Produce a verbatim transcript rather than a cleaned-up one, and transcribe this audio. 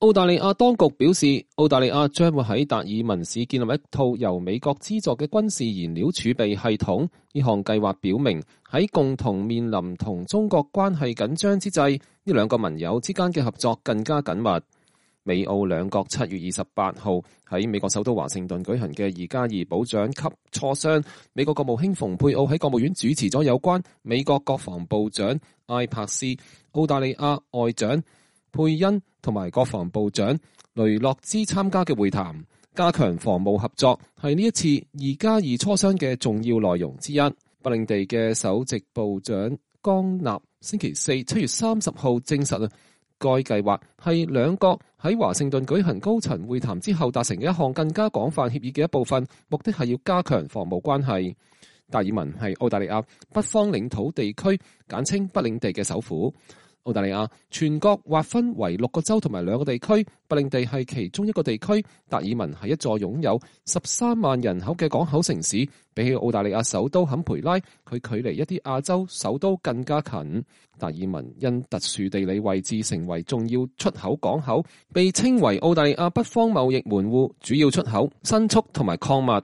澳大利亞當局表示，澳大利亞將會喺達爾文市建立一套由美國資助嘅軍事燃料儲備系統。呢項計劃表明，喺共同面臨同中國關係緊張之際，呢兩個盟友之間嘅合作更加緊密。美澳兩國七月二十八號喺美國首都華盛頓舉行嘅二加二部長級磋商，美國國務卿蓬佩奧喺國務院主持咗有關美國國防部長埃柏斯、澳大利亞外長佩恩同埋國防部長雷諾茲參加嘅會談，加強防務合作係呢一次二加二磋商嘅重要內容之一。北領地嘅首席部長江納星期四七月三十號證實啊，該計劃係兩國喺華盛頓舉行高層會談之後達成嘅一項更加廣泛協議嘅一部分，目的係要加強防務關係。達爾文係澳大利亞北方領土地區，簡稱北領地嘅首府。澳大利亞全國劃分為六個州同埋兩個地區，北領地係其中一個地區。達爾文係一座擁有十三萬人口嘅港口城市，比起澳大利亞首都坎培拉，佢距離一啲亞洲首都更加近。達爾文因特殊地理位置成為重要出口港口，被稱為澳大利亞北方貿易門戶，主要出口牲畜同埋礦物。